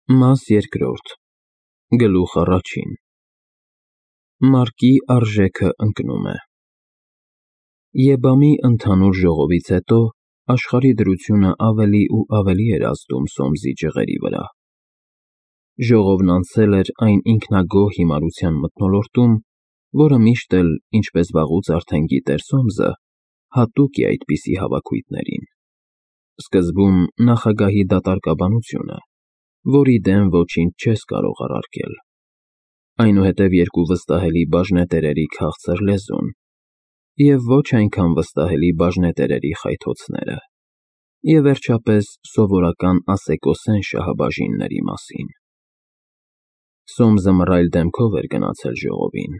Մաս երկրորդ Գլուխ առաջին Մարկի արժեքը ընկնում է Եբամի ընդհանուր ժողովից հետո աշխարհի դրությունը ավելի ու ավելի էր ազդում Սոմսի ջղերի վրա։ Ժողովն անցել էր այն ինքնագոհ հիմարության մթնոլորտում, որը միշտ էլ, ինչպես վաղուց արդեն գիտեր Սոմսը, հատուկ է այդպիսի հավաքույթներին։ Սկզբում նախագահի դատարկաբանությունը, որի դեմ ոչինչ չես կարող առարկել, այնուհետև երկու վստահելի բաժնետերերի քաղցր լեզուն և ոչ այնքան վստահելի բաժնետերերի խայթոցները, և վերջապես սովորական ասեկոսեն շահաբաժինների մասին։ Սոմսը մռայլ դեմքով էր գնացել ժողովին,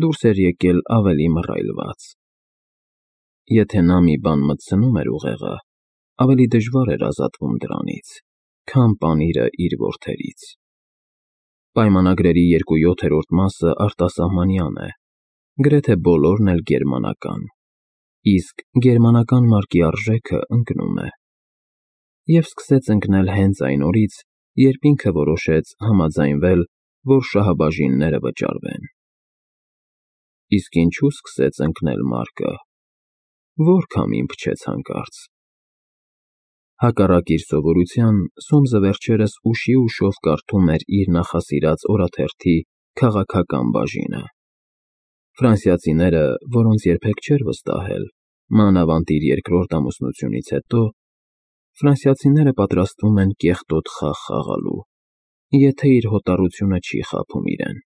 դուրս էր եկել ավելի մռայլված։ Եթե նա մի բան մտցնում էր ուղեղը, ավելի դժվար էր ազատվում դրանից, քան պանիրը իր որդերից։ Պայմանագրերի 2/7 մասը արտասահմանյան է, գրեթե բոլորն էլ գերմանական, իսկ գերմանական մարկի արժեքը ընկնում է։ Եվ սկսեց ընկնել հենց այն օրից, երբ ինքը որոշեց համաձայնվել, որ շահաբաժինները վճարվեն։ Իսկ ինչու սկսեց ընկնել մարկը, որ քամին փչեց հանկարծ։ Հակառակ իր սովորության, Սոմսը վերջերս ուշի ուշով կարդում էր իր նախասիրած օրաթերթի քաղաքական բաժինը։ Ֆրանսիացիները, որոնց երբեք չէր վստահել, մանավանդ իր երկրորդ ամուսնությունից հետո, ֆրանսիացիները պատրաստվում են կեղտոտ խաղ խաղալու, եթե իր հոտառությունը չի խաբում իրեն։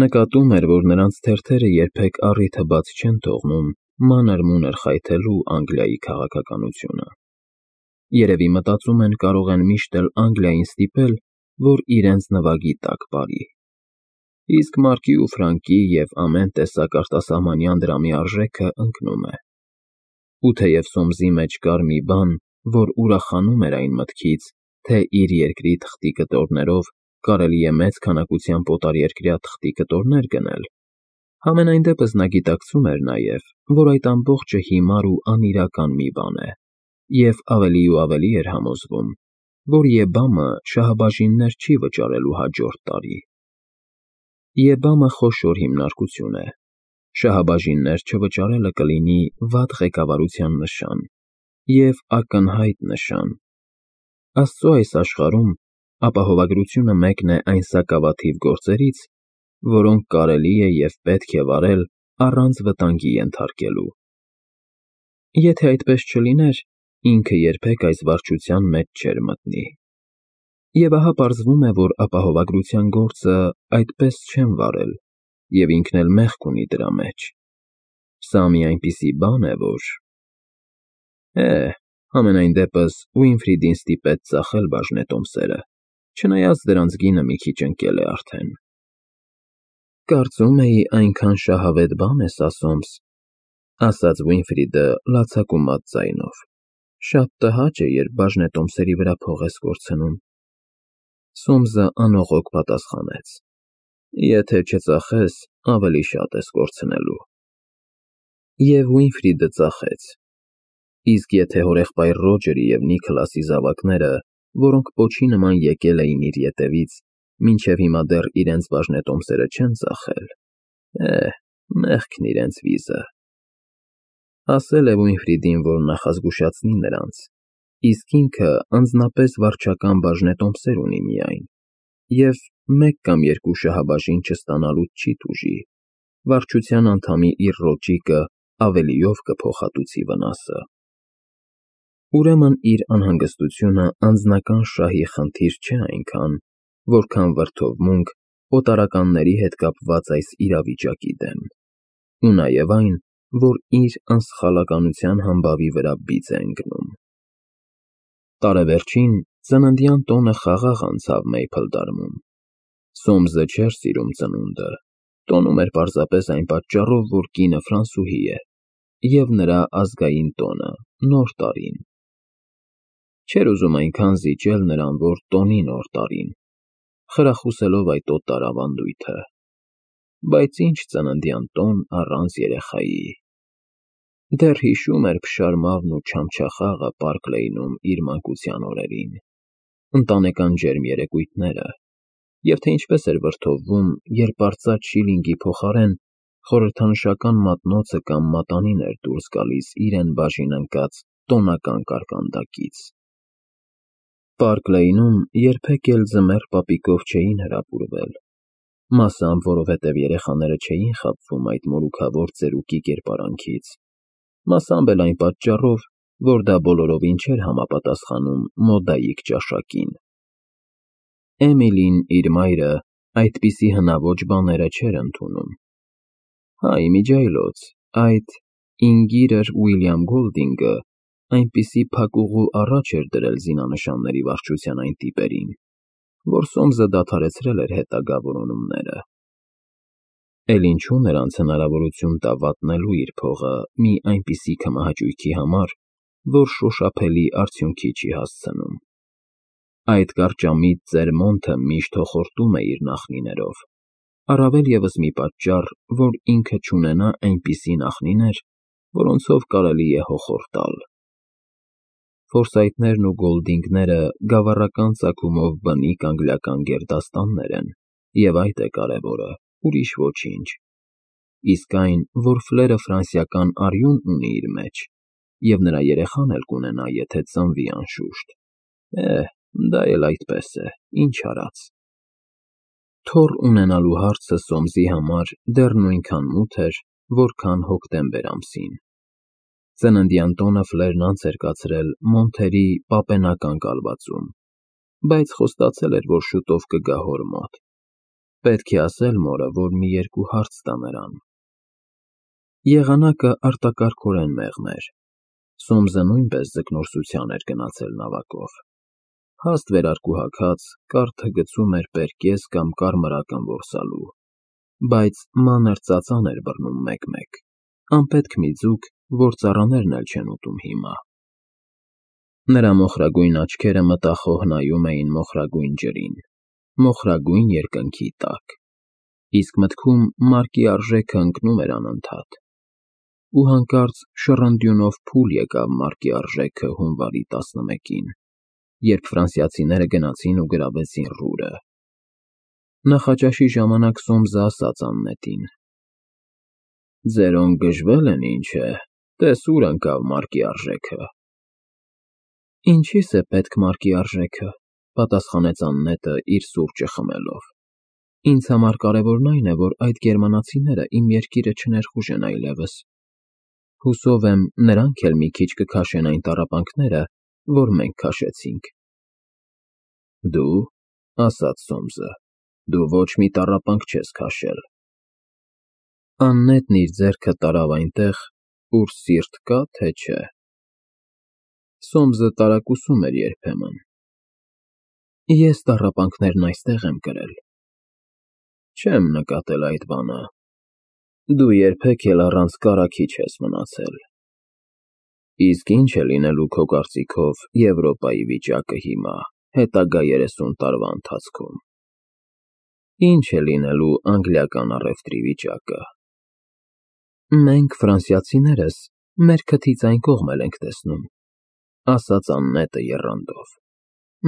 Նկատում էր, որ նրանց թերթերը երբեք առիթը բաց չեն թողնում մանր-մունր խայթելու Անգլիայի քաղաքականությունը։ Երևի մտածում են կարող են միշտ էլ Անգլիային ստիպել, որ իրենց նվագի տակ պարի։ Իսկ մարկի ու ֆրանկի և ամեն տեսակ արտասահմանյան դրամի արժեքը ընկնում է։ Ու թեև Սոմսի մեջ կար մի բան, որ ուրախանում էր այն մտքից, թե իր երկրի թղթի կտորներով կարելի է մեծ քանակությամբ օտարերկրյա թղթի կտորներ գնել, համենայն դեպս նա գիտակցում էր նաև, որ այդ ամբողջը հիմար ու անիրական մի բան է, և ավելի ու ավելի էր համոզվում, որ ԵԲԱՄ-ը շահաբաժիններ չի վճարելու հաջորդ տարի։ ԵԲԱՄ-ը խոշոր հիմնարկություն է, շահաբաժիններ չվճարելը կլինի վատ ղեկավարության նշան և ակնհայտ նշան։ Աստծո այս աշխարհում ապահովագրությունը մեկն է այն սակավաթիվ գործերից, որոնք կարելի է և պետք է վարել առանց վտանգի ենթարկելու։ Եթե այդպես չլիներ, ինքը երբեք այս վարչության մեջ չէր մտնի։ Եվ ահա պարզվում է, որ ապահովագրության գործը այդպես չեն վարել, և ինքն էլ մեղք ունի դրա մեջ։ Սա մի այնպիսի բան է, որ… Համենայն դեպս Ուինֆրիդին ստիպեց ծախել բաժնետոմսերը, չնայած դրանց գինը մի քիչ ընկել է արդեն։ Կարծում էի այնքան շահավետ բան է սա, Սոմս, ասաց Ուինֆրիդը լացակումած ձայնով, շատ տհաճ է, երբ բաժնետոմսերի վրա փող ես կորցնում։ Սոմսը անողոք պատասխանեց. Եթե չծախես, ավելի շատ ես կորցնելու։ Եվ Ուինֆրիդը ծախեց։ Իսկ եթե հորեղբայր Ռոջերի և Նիքլասի զավակները, որոնք պոչի նման եկել էին իր ետևից, մինչև հիմա դեռ իրենց բաժնետոմսերը չեն ծախել, մեղքն իրենց վիզը։ Ասել է Ուինֆրիդին, որ նախազգուշացնի նրանց, իսկ ինքը անձնապես վարչական բաժնետոմսեր ունի միայն, և մեկ կամ երկու շահաբաժին չստանալուց չի տուժի, վարչության անդամի իր ռոճիկը ավելիով կփոխհատուցի վնասը։ Ուրեմն իր անհանգստությունը անձնական շահի խնդիր չէ այնքան, որքան վրդովմունք օտարականների հետ կապված այս իրավիճակի դեմ, ու նաև այն, որ իր անսխալականության համբավի վրա բիծ է ընկնում։ Տարեվերջին ծննդյան տոնը խաղաղ անցավ Մեյփլդարմում։ Սոմսը չէր սիրում ծնունդը, տոնում էր պարզապես այն պատճառով, որ կինը ֆրանսուհի է, և նրա ազգային տոնը՝ Նոր տարին։ Չէր ուզում այնքան զիջել նրան, որ տոնի Նոր տարին, խրախուսելով այդ օտար ավանդույթը։ Բայց ինչ ծննդյան տոն առանց երեխայի։ Դեռ հիշում էր փշարմավն ու չամչախաղը Պարկ Լեյնում իր մանկության օրերին։ ընտանեկան ջերմ երեկույթները, և թե ինչպես էր վրդովվում, երբ արծաթ շիլինգի փոխարեն խորհրդանշական մատնոցը կամ մատանին էր դուրս գալիս իրեն բաժին ընկած տոնական կարկանդակից։ Պարկ Լեյնում երբեք էլ ձմեռ պապիկով չէին հրապուրվել, մասամբ որովհետև երեխաները չէին խաբվում այդ մորուքավոր ծերուկի կերպարանքից, մասամբ էլ այն պատճառով, որ դա բոլորովին չէր համապատասխանում մոդայիկ ճաշակին։ Էմիլին, իր մայրը, այդպիսի հնաոճ բաները չէր ընդունում։ Հա, իմիջիայլոց, այդ Ինգիրր Ուիլյամ Գոլդինգը այնպիսի փակուղու առաջ էր դրել զինանշանների վարչության այն տիպերին, որ Սոմսը դադարեցրել էր հետագա որոնումները։ Էլ ինչու նրանց հնարավորություն տա վատնելու իր փողը մի այնպիսի քմահաճույքի համար, որ շոշափելի արդյունքի չի հասցնում։ Այդ կարճամիտ Ծերմոնտը միշտ հոխորտում է իր նախնիներով, առավել ևս մի պատճառ, որ ինքը չունենա այնպիսի նախնիներ, որոնցով կարելի է հոխորտալ։ Ֆորսայթներն ու Գոլդինգները գավառական ծագումով բնիկ անգլիական գերդաստաններ են, և այդ է կարևորը, ուրիշ ոչինչ։ Իսկ այն, որ Ֆլերը ֆրանսիական արյուն ունի իր մեջ, և նրա երեխան էլ կունենա, եթե ծնվի անշուշտ, դա էլ այդպես է, ինչ արած։ Թոռ ունենալու հարցը Սոմսի համար դեռ նույնքան մութ էր, որքան հոկտեմբեր ամսին։ Ծննդյան տոնը Ֆլերն անց էր կացրել Մոնթերի պապենական կալվածում, բայց խոստացել էր, որ շուտով կգա հոր մոտ։ Պետք է ասել մորը, որ մի երկու հարց տա նրան։ Եղանակը արտակարգորեն մեղմ էր։ Սոմսը նույնպես ձկնորսության էր գնացել նավակով։ Հաստ վերարկուհաքած, կարթը գցում էր պերկես կամ կարմրական որսալու, բայց մանր ծածան էր բռնում մեկ-մեկ, անպետք մի ձուկ, որ ծառաներն էլ չեն ուտում հիմա։ Նրա մոխրագույն աչքերը մտախոհ նայում էին մոխրագույն ջրին, մոխրագույն երկնքի տակ, իսկ մտքում մարկի արժեքը ընկնում էր անընդհատ։ Ու հանկարծ շռնդյունով փուլ եկավ մարկի արժեքը հունվարի 11-ին, երբ ֆրանսիացիները գնացին ու գրավեցին Ռուրը։ Նախաճաշի ժամանակ Սոմսը ասաց Աննետին. «Ձերոն գժվել են, ինչ է, տես ուր ընկավ մարկի արժեքը»։ «Ինչի՞ս է պետք մարկի արժեքը», պատասխանեց Աննետը իր սուրճը խմելով։ «Ինձ համար կարևորն այն է, որ այդ գերմանացիները իմ երկիրը չներխուժեն այլևս։ Հուսով եմ, նրանք էլ մի քիչ կքաշեն այն տառապանքները, որ մենք քաշեցինք»։ «Դու», ասաց Սոմսը, «դու ոչ մի տառապանք չես քաշել»։ Աննետն իր ձեռքը տարավ այնտեղ, ուր սիրտ կա, թե չէ։ Սոմսը տարակուսում էր երբեմն։ Ես տառապանքներն այստեղ եմ կրել։ Չեմ նկատել այդ բանը։ Դու երբեք էլ առանց կարագի չես մնացել։ Իսկ ինչ է լինելու քո կարծիքով Եվրոպայի վիճակը հիմա, հետագա 30 տարվա ընթացքում։ Ինչ է լինելու անգլիական առևտրի վիճակը։ Մենք, ֆրանսիացիներս, մեր քթից այն կողմ էլ ենք տեսնում, ասաց Աննետը եռանդով։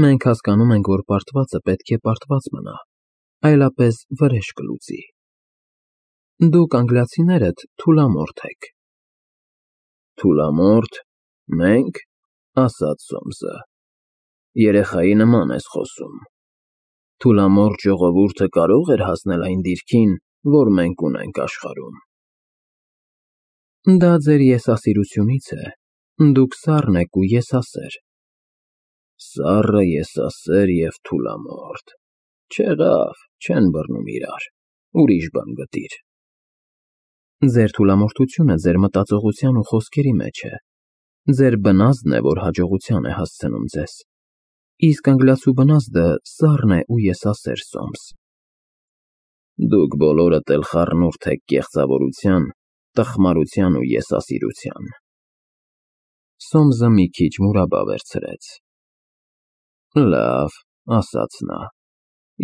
Մենք հասկանում ենք, որ պարտվածը պետք է պարտված մնա, այլապես վրեժ կլուծի։ Դուք անգլիացիներդ թուլամորթ եք։ Թուլամորթ, մենք, ասաց Սոմսը, երեխայի նման ես խոսում։ Թուլամորթ ժողովուրդը կարող էր հասնել այն դիրքին, որ մենք ունենք աշխարհում։ Դա ձեր եսասիրությունից է, դուք սառն եք ու եսասեր։ Սառը, եսասեր և թուլամորթ, չեղավ, չեն բռնում իրար, ուրիշ բան գտիր։ Ձեր թուլամորթությունը ձեր մտածողության ու խոսքերի մեջ է, ձեր բնազդն է, որ հաջողության է հասցնում ձեզ, իսկ անգլիացու բնազդը սառն է ու եսասեր, Սոմս։ Դուք բոլորդ էլ խառնուրդ եք կեղծավորության, տխմարության ու եսասիրության։ Սոմսը մի քիչ մուրաբա վերցրեց։ Լավ, ասաց նա,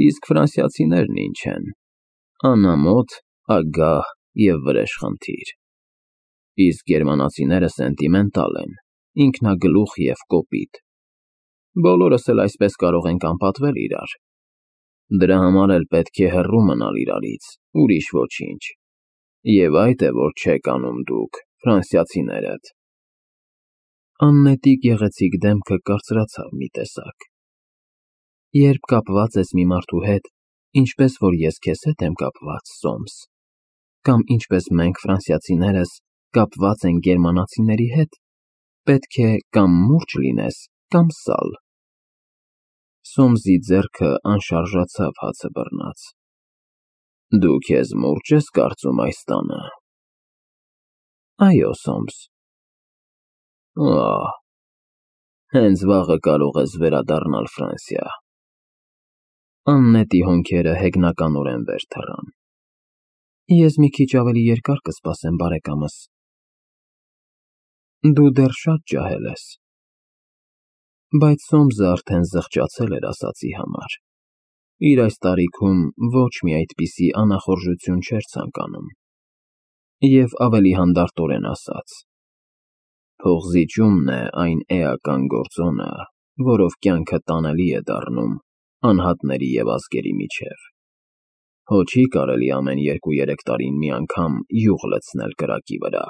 իսկ ֆրանսիացիներն ինչ են։ Անամոթ, ագահ և վրեժխնդիր։ Իսկ գերմանացիները սենտիմենտալ են, ինքնագլուխ և կոպիտ։ Բոլորս էլ այսպես կարող ենք անպատվել իրար։ Դրա համար էլ պետք է հեռու մնալ իրարից, ուրիշ ոչինչ։ Եվ այդ է, որ չեք անում դուք, ֆրանսիացիներդ։ Աննետի գեղեցիկ դեմքը կարծրացավ մի տեսակ։ Երբ կապված ես մի մարդու հետ, ինչպես որ ես քեզ հետ եմ կապված, Սոմս, կամ ինչպես մենք ֆրանսիացիներս կապված ենք գերմանացիների հետ, պետք է կամ մուրջ լինես, կամ սալ։ Սոմսի ձեռքը անշարժացավ հացը բռնած։ Դու քեզ մուրջ ես կարծում այս տանը։ Այո, Սոմս։ Ահ, հենց վաղը կարող ես վերադառնալ Ֆրանսիա։ Աննետի հոնքերը հեգնականորեն վեր թռան։ Ես մի քիչ ավելի երկար կսպասեմ, բարեկամս։ Դու դեռ շատ ջահել ես։ Բայց Սոմսը արդեն զղջացել էր ասածի համար։ Իր այս տարիքում ոչ մի այդպիսի անախորժություն չէր ցանկանում։ Եվ ավելի հանդարտորեն ասաց. Փողզիջումն է այն էական գործոնը, որով կյանքը տանելի է դառնում անհատների և ազգերի միջև։ Հո չի կարելի ամեն 2-3 տարին մի անգամ յուղ լցնել կրակի վրա։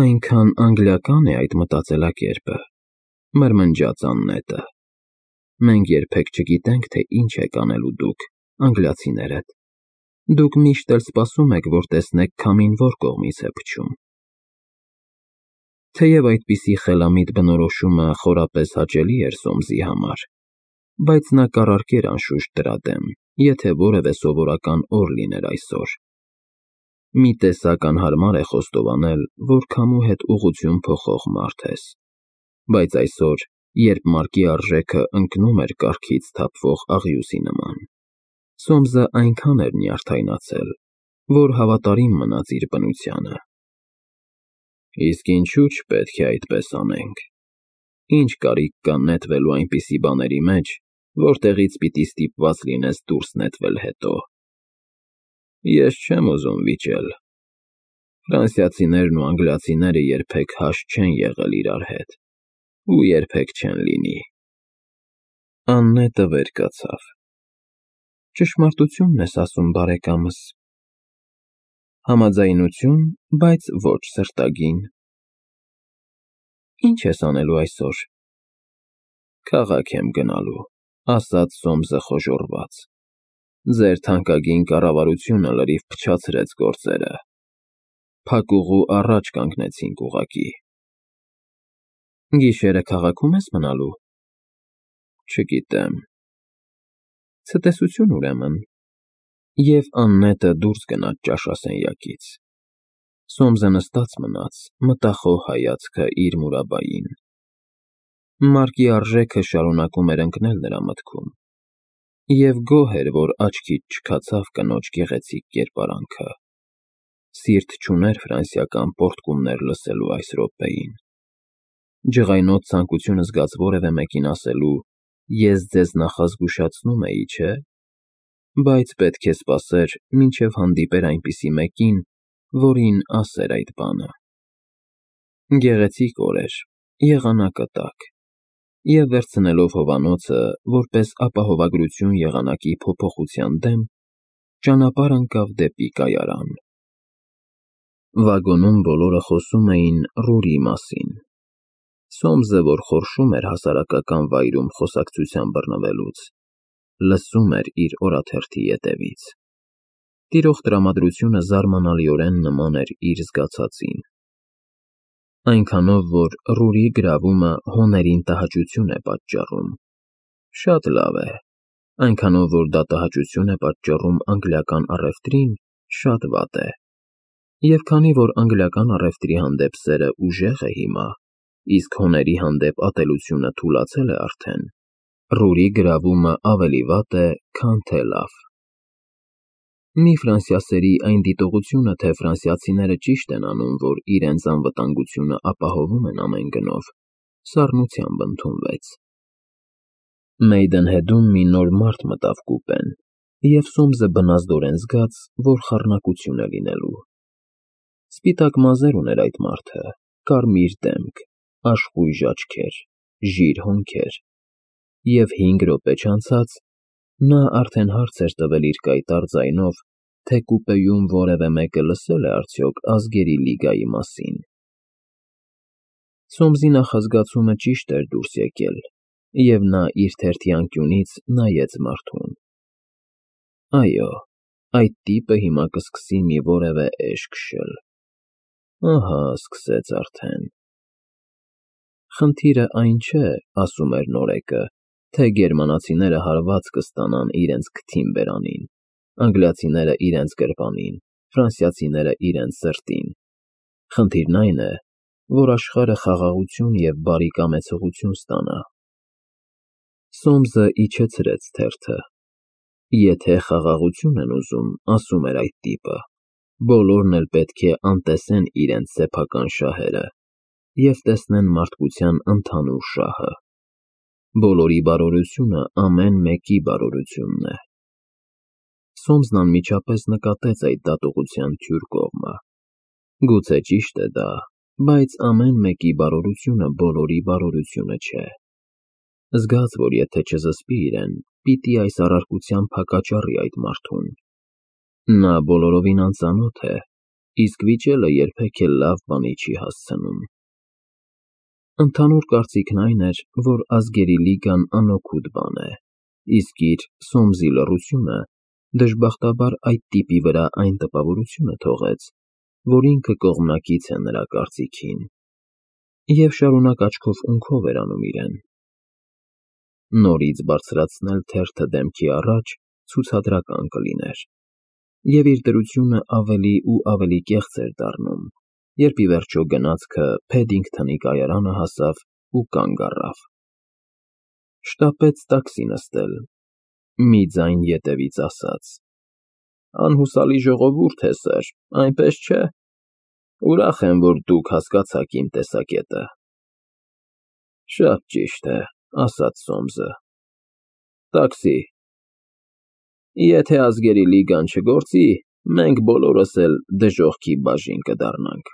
Այնքան անգլիական է այդ մտածելակերպը, մրմնջաց Աննետը։ Մենք երբեք չգիտենք, թե ինչ եք անելու դուք, անգլիացիներդ։ Դուք միշտ էլ սպասում եք, որ տեսնեք քամին որ կողմից է փչում։ Թեև այդպիսի խելամիտ բնորոշումը խորապես հաճելի էր Սոմսի համար, բայց նա կառարկեր անշուշտ դրա դեմ, եթե որևէ սովորական օր լիներ այսօր։ Մի տեսակ անհարմար է խոստովանել, որ քամու հետ ուղղություն փոխող մարդ ես, բայց այսօր, երբ մարկի արժեքը ընկնում էր կառքից թափվող աղյուսի նման, Սոմսը այնքան էր նյարդայնացել, որ հավատարիմ մնաց իր բնությանը։ Իսկ ինչու՞ չպետք է այդպես անենք։ Ինչ կարիք կա նետվելու այնպիսի բաների մեջ, որտեղից պիտի ստիպված լինես դուրս նետվել հետո։ Ես չեմ ուզում վիճել։ Ֆրանսիացիներն ու անգլիացիները երբեք հաշտ չեն եղել իրար հետ, ու երբեք չեն լինի։ Աննետը վեր կացավ։ Ճշմարտությունն ես ասում, բարեկամս։ Համաձայնություն, բայց ոչ սրտագին։ Ինչ ես անելու այսօր։ Քաղաք եմ գնալու, ասաց Սոմսը խոժոռված։ Ձեր թանկագին կառավարությունը լրիվ փչացրեց գործերը։ Փակուղու առաջ կանգնեցինք ուղղակի։ Գիշերը քաղաքում ես մնալու։ Չգիտեմ։ Ցտեսություն ուրեմն։ Եվ Աննետը դուրս գնաց ճաշասենյակից։ Սոմսը նստած մնաց, մտախոհ հայացքը իր մուրաբային։ Մարկի արժեքը շարունակում էր ընկնել նրա մտքում։ Եվ գոհ էր, որ աչքից չքացավ կնոջ գեղեցիկ կերպարանքը։ Սիրտ չուներ ֆրանսիական պոռթկումներ լսելու այս րոպեին։ Ջղայնոտ ցանկություն զգաց որևէ մեկին ասելու. «Ես ձեզ նախազգուշացնում էի, չէ՞», բայց պետք է սպասեր, մինչև հանդիպեր այնպիսի մեկին, որին ասեր այդ բանը։ Գեղեցիկ օր էր, եղանակը տաք, և վերցնելով հովանոցը, որպես ապահովագրություն եղանակի փոփոխության դեմ, ճանապարհ ընկավ դեպի կայարան։ Վագոնում բոլորը խոսում էին Ռուրի մասին։ Սոմսը, որ խորշում էր հասարակական վայրում խոսակցության բռնվելուց, լսում էր իր օրաթերթի ետևից։ Տիրող տրամադրությունը զարմանալիորեն նման էր իր զգացածին։ Այնքանով, որ Ռուրի գրավումը հոներին տհաճություն է պատճառում։ Շատ լավ է։ Այնքանով, որ դա տհաճություն է պատճառում անգլիական առևտրին, շատ վատ է։ Եվ քանի որ անգլիական առևտրի հանդեպ սերը ուժեղ է հիմա, իսկ հոների հանդեպ ատելությունը թուլացել է արդեն, Ռուրի գրավումը ավելի վատ է, քան թե լավ։ Մի ֆրանսիասերի այն դիտողությունը, թե ֆրանսիացիները ճիշտ են անում, որ իրենց անվտանգությունը ապահովում են ամեն գնով, սառնությամբ ընդունվեց։ Մեյդենհեդում մի նոր մարդ մտավ կուպեն, և Սոմսը բնազդորեն զգաց, որ խառնակություն է լինելու։ Սպիտակ մազեր ուներ այդ մարդը, կարմիր դեմք, աշխույժ աչքեր, ժիր հոնքեր, և 5 րոպե չանցած նա արդեն հարց էր տվել իր կայտառ ձայնով, թե կուպեում որևէ մեկը լսել է արդյոք Ազգերի լիգայի մասին։ Սոմսի նախազգացումը ճիշտ էր դուրս եկել, և նա իր թերթի անկյունից նայեց մարդուն։ Այո, այդ տիպը հիմա կսկսի մի որևէ էջ քշել։ Ահա, սկսեց արդեն։ Խնդիրը այն չէ, ասում էր նորեկը, թե գերմանացիները հարված կստանան իրենց քթին բերանին, անգլիացիները իրենց գրպանին, ֆրանսիացիները իրենց սրտին։ Խնդիրն այն է, որ աշխարհը խաղաղություն և բարի կամեցողություն ստանա։ Սոմսը իջեցրեց թերթը։ Եթե խաղաղություն են ուզում, ասում էր այդ տիպը, բոլորն էլ պետք է անտեսեն իրենց սեփական շահերը և տեսնեն մարդկության ընդհանուր շահը։ Բոլորի բարօրությունը ամեն մեկի բարօրությունն է։ Սոմսն անմիջապես նկատեց այդ դատողության թյուր կողմը։ Գուցե ճիշտ է դա, բայց ամեն մեկի բարօրությունը բոլորի բարօրությունը չէ։ Զգաց, որ եթե չզսպի իրեն, պիտի այս առարկությամբ հակաճառի այդ մարդուն։ Նա բոլորովին անծանոթ է, իսկ վիճելը երբեք էլ լավ բանի չի հասցնում։ Ընդհանուր կարծիքն այն էր, որ Ազգերի լիգան անօգուտ բան է, իսկ իր՝ Սոմսի լռությունը դժբախտաբար այդ տիպի վրա այն տպավորությունը թողեց, որ ինքը կողմնակից է նրա կարծիքին, և շարունակ աչքով-ունքով էր անում իրեն։ Նորից բարձրացնել թերթը դեմքի առաջ ցուցադրական կլիներ, և իր դրությունը ավելի ու ավելի կեղծ էր դառնում, երբ ի վերջո գնացքը Փեդինգթոնի կայարանը հասավ ու կանգ առավ։ Շտապեց տաքսի նստել։ Մի ձայն ետևից ասաց. «Անհուսալի ժողովուրդ է, սըր, այնպես չէ։ Ուրախ եմ, որ դուք հասկացաք իմ տեսակետը»։ Շատ ճիշտ է, ասաց Սոմսը։ Տաքսի։ Եթե Ազգերի լիգան չգործի, մենք բոլորս էլ դժոխքի բաժին կդառնանք։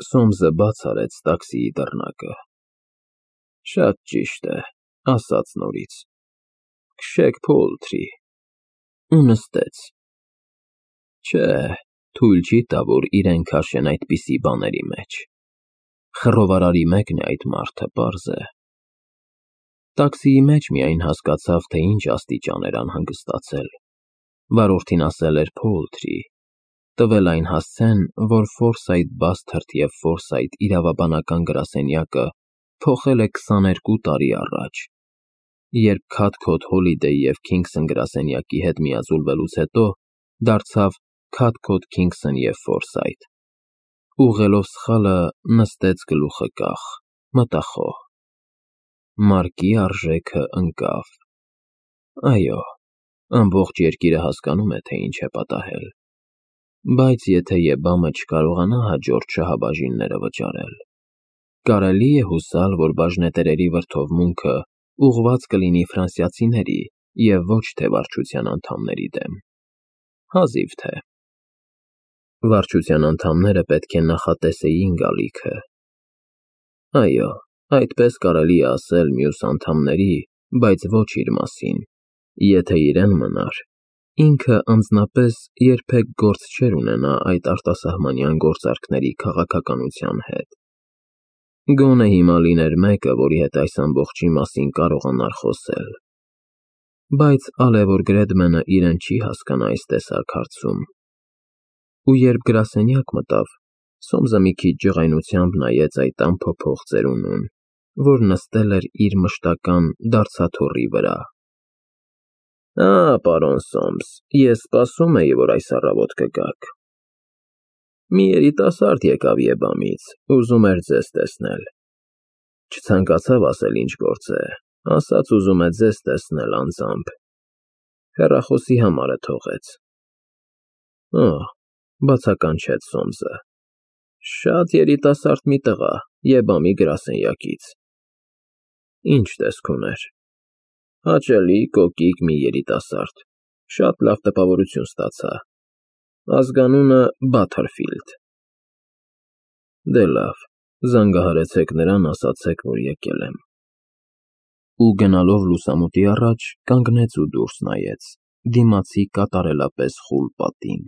Սոմսը բաց արեց տաքսիի դռնակը։ Շատ ճիշտ է, ասաց նորից։ Քշեք Փոլթրի։ Ու նստեց։ Չէ, թույլ չի տա, որ իրեն քաշեն այդպիսի բաների մեջ։ Խռովարարի մեկն է այդ մարդը, պարզ է։ Տաքսիի մեջ միայն հասկացավ, թե ինչ աստիճան էր անհանգստացել։ Վարորդին ասել էր Փոլթրի, տվել այն հասցեն, որ Ֆորսայթ Բասթերդ և Ֆորսայթ իրավաբանական գրասենյակը փոխել է 22 տարի առաջ, երբ Քաթքոթ Հոլիդեյ և Քինգսոն գրասենյակի հետ միաձուլվելուց հետո դարձավ Քաթքոթ Քինգսոն և Ֆորսայթ։ Ուղղելով սխալը նստեց գլուխը կախ, մտախոհ։ Մարկի արժեքը ընկավ։ Այո, ամբողջ երկիրը հասկանում է, թե ինչ է պատահել։ Բայց եթե ԵԲԱՄ-ը չկարողանա հաջորդ շահաբաժինները վճարել, կարելի է հուսալ, որ բաժնետերերի վրդովմունքը ուղղված կլինի ֆրանսիացիների և ոչ թե վարչության անդամների դեմ։ Հազիվ թե։ Վարչության անդամները պետք է նախատեսեին գալիքը։ Այո, այդպես կարելի է ասել մյուս անդամների, բայց ոչ իր մասին, եթե իրեն մնար, ինքը անձնապես երբեք գործ չէր ունենա այդ արտասահմանյան գործարքների քաղաքականության հետ։ Գոնե հիմա լիներ մեկը, որի հետ այս ամբողջի մասին կարողանար խոսել։ Բայց Ալևոր Գրեդմենը իրեն չի հասկանա այս տեսակ հարցում։ Ու երբ գրասենյակ մտավ, Սոմսը մի քիչ ջղայնությամբ նայեց այդ անփոփոխ ծերունուն, որ նստել էր իր մշտական դարձաթոռի վրա։ Պարոն Սոմս, ես սպասում էի, որ այս առավոտ կգաք։ Մի երիտասարդ եկավ ԵԲԱՄ-ից, ուզում էր ձեզ տեսնել։ Չցանկացավ ասել ինչ գործ է, ասաց ուզում է ձեզ տեսնել անձամբ։ Հեռախոսի համարը թողեց։ Բացականչեց Սոմսը։ Շատ երիտասարդ մի տղա, ԵԲԱՄ-ի գրասենյակից։ Ինչ տեսք ուներ։ Հաճելի, կոկիկ մի երիտասարդ, շատ լավ տպավորություն ստացա։ Ազգանունը Բաթերֆիլդ։ Դե լավ, Զանգահարեցեք նրան, ասացեք, որ եկել եմ։ Ու գնալով լուսամուտի առաջ, կանգնեց ու դուրս նայեց, դիմացի կատարելապես խուլ պատին։